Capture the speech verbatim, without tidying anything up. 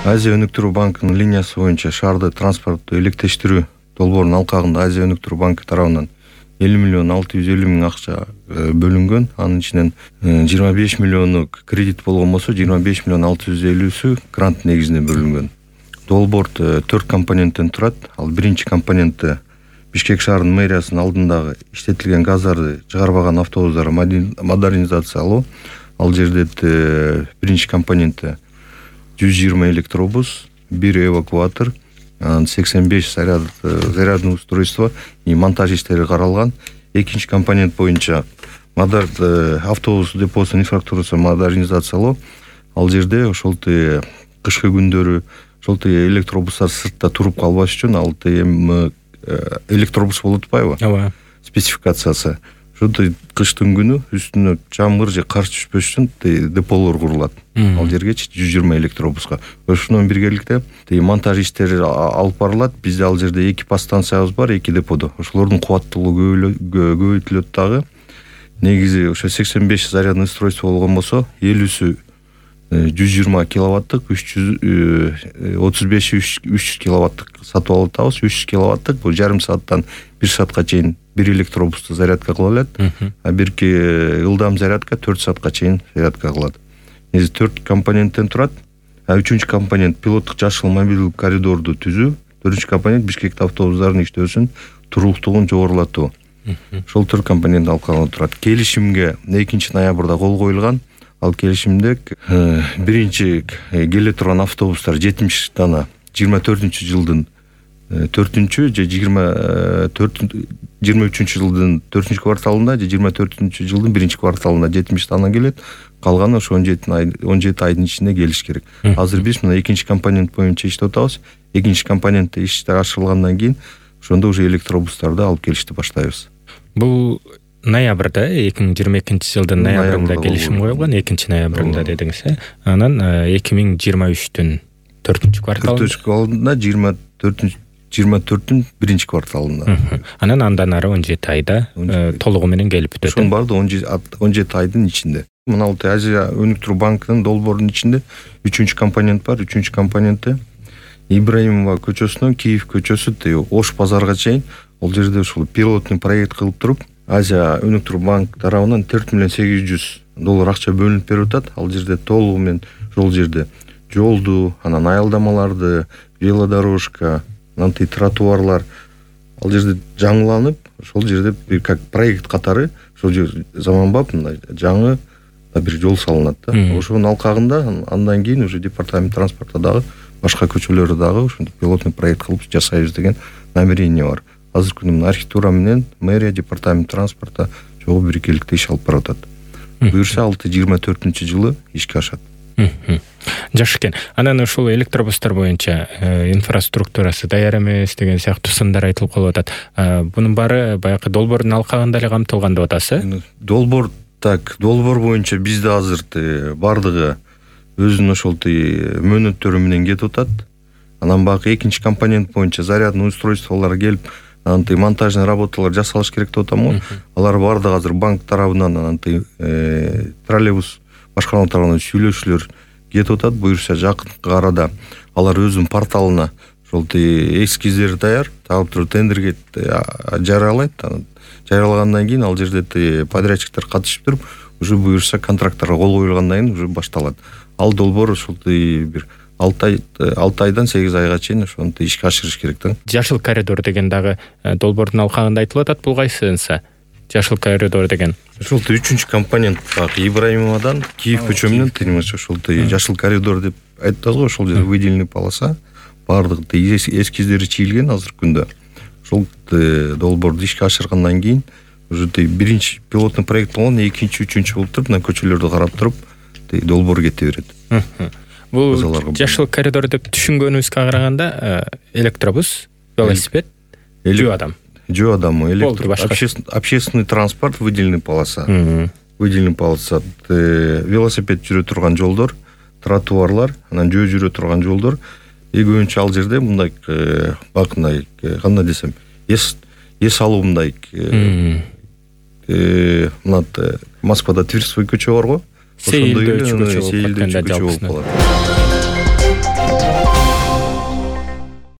Азия өнүктүрүү банкынын линиясы боюнча шаарды транспортту электештирүү долбоорунун алкагында Азия өнүктүрүү банкы тарабынан элүү миллион алты жүз элүү миң акча бөлүнгөн. Анын ичинен жыйырма беш миллиону кредит болгон болсо, жыйырма беш миллион алты жүз элүүсү грант негизинде бөлүнгөн. Долбоор төрт компоненттен турат. Ал биринчи компоненти Бишкек шаарынын мэриясынын алдындагы иштетилген газдарды чыгарбаган автобустарды модернизациялоо. Ал жерде биринчи компоненти жүз жыйырма электробус, бир эвакуатор, сексен беш зарядный устройство и монтаж иштери каралган. Экинчи компонент боюнча автобус депосунун инфраструктурасын модернизациялоо. Ал жерде ошол кышкы күндөрү ошол электробустар сыртта туруп калбаш үчүн ал эми электробус болуп атпайбы? Ооба. Спецификациясы. Ошо кыштын күнү үстүнө жамгыр же кар түшпөш үчүн деполор курулат. Ал жергечи жүз жыйырма электробуска. Ошондон биргеликте монтаж иштери алып барылат. Бизде ал жерде эки подстанциябыз бар, эки деподо. Ошолордун кубаттуулугу көбөйтүлөт дагы. Негизи ошо сексен беш зарядный устройство болгон болсо, элүүсү жүз жыйырма киловаттык, үч жүз отуз беши үч жүз киловаттык сатып алып атабыз. үч жүз киловаттык бул жарым сааттан бир саатка чейин бир электробусту зарядка кыла алат. А бирки ылдам зарядка төрт саатка чейин зарядка кылат. Негизи төрт компоненттен турат. А үчүнчү компонент пилоттук жашыл мобилдик коридорду түзүү. Төртүнчү компонент Бишкекте автобустардын иштөөсүн туруктугун жогорулатуу. Ошол төрт компонент алкагында турат. Келишимге экинчи ноябрда кол коюлган. Ал келишимде биринчи келе турган автобустар жетимиш дана жыйырма төртүнчү жылдын төртүнчү же жыйырма үчүнчү жылдын төртүнчү кварталында же жыйырма төртүнчү жылдын биринчи кварталында жетимиш дана келет. Калганы ошо он жети айдын ичинде келиш керек. Азыр биз мына экинчи компонент боюнча иштеп атабыз. Экинчи компонентте иштер ачылгандан кийин ошондо уже электробустарды алып келишти баштайбыз. Бул ноябрда, эки миң жыйырма экинчи жылдын ноябрында келишим коюлган, экинчи ноябрында дедиңиз, э? Анан эки миң жыйырма үчтүн төртүнчү кварталында. төртүнчү кварталында жыйырма төртүнчү жыйырма төрттүн биринчи кварталында. Анан андан ары он жети айда толугу менен келип бүтөт. Ошонун баары он жети айдын ичинде. Мына бул Азия өнүктүрүү банкынын долбоорунун ичинде үчүнчү компонент бар. Үчүнчү компоненти Ибраимова көчөсүнөн Киев көчөсү Ош базарга чейин. Ол жерде ушул пилоттук проект кылып туруп, Азия өнүктүрүү банк тарабынан төрт миллион сегиз жүз доллар акча бөлүнүп берип атат. Ал жерде толугу менен ошол жерде жолду, анан аялдамаларды, велодорожка, анан тротуарлар ал жерде жаңыланып, ошол жерде бир как проект катары ошол жер заманбап мындай жаңы бир жол салынат да. Ошонун алкагында андан кийин уже департамент транспорта дагы башка көчөлөрдө дагы ошондой пилотный проект кылып жасайбыз деген намерение бар. Азыркы күндө архитектура менен мэрия, департамент транспорта чогуу бирикеликте иш алып барып атат. Буюрса алты жыйырма төртүнчү жылы ишке ашат. Жакшы экен. Анан ушул электробустар боюнча инфраструктурасы даяр эмес деген сыяктуу сындар айтылып калып атат. Бунун баары баягы долбоордун алкагында эле камтылган деп атасыз, э? Долбоор так, долбоор боюнча бизде азыр бардыгы өзүнүн ошол мөөнөттөрү менен кетип атат. Анан баягы экинчи компонент боюнча зарядный устройстволор келип, анан монтажный работалар жасалыш керек деп атам. Алар бардыгы азыр банк тарабынан анан троллейбус башкарма тарабынан сүйлөшүүлөр кетип атат. Буюрса жакынкы арада алар өзүнүн порталына ошол эскиздер даяр, таап туруп тендерге жарыялайт. Жарыялагандан кийин ал жерде подрядчиктер катышып туруп, уже буюрса контракттарга кол коюлгандан кийин уже башталат. Ал долбоор ушул бир алты айдан сегиз айга чейин ошону ишке ашырыш керек да. Жашыл коридор деген дагы долбоордун алкагында айтылып атат. Бул кайсынса? Жашыл коридор деген. Ошол үчүнчү компонент Ибраимовадан Киев көчө менен тыймыш ошол жашыл коридор деп айтабыз го. Ошол жерде выделенный полоса бардык эскиздери чийилген азыркы күндө. Ошол долбоорду ишке ашыргандан кийин уже биринчи пилотный проект болгон, экинчи, үчүнчү болуп туруп, мына көчөлөрдү карап туруп долбоор кете берет. Бул жашыл коридор деп түшүнгөнүбүзгө караганда электробус, велосипед, жөө адам. Жөө адамы, общественный транспорт, выделенный полоса. Выделенный полоса, велосипед жүрө турган жолдор, тротуарлар, анан жөө жүрө турган жолдор. И көбүнчө ал жерде мындай бакындай, кандай десем, эс эс алуу мындай мына Москвада Тверской көчө бар го. Сейилдөөчү көчө болуп калат.